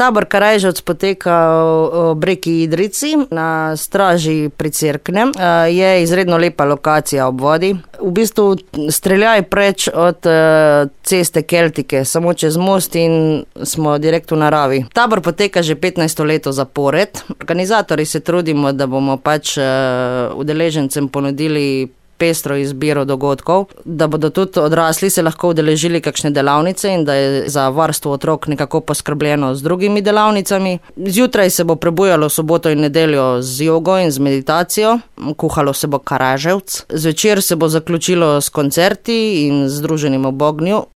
Tabor Karajževc poteka ob reki Idrijci na straži pri Cerknem. Je izredno lepa lokacija ob vodi. V bistvu streljaj preč od ceste Keltike, samo čez most in smo direkt v naravi. Tabor poteka že 15 leto zapored. Organizatorji se trudimo, da bomo pač udeležencem ponudili pestro izbiro dogodkov, da bodo tudi odrasli se lahko udeležili kakšne delavnice in da je za varstvo otrok nekako poskrbljeno z drugimi delavnicami. Zjutraj se bo prebujalo soboto in nedeljo z jogo in z meditacijo, kuhalo se bo karaževc. Zvečer se bo zaključilo s koncerti in z druženjem ob ognju.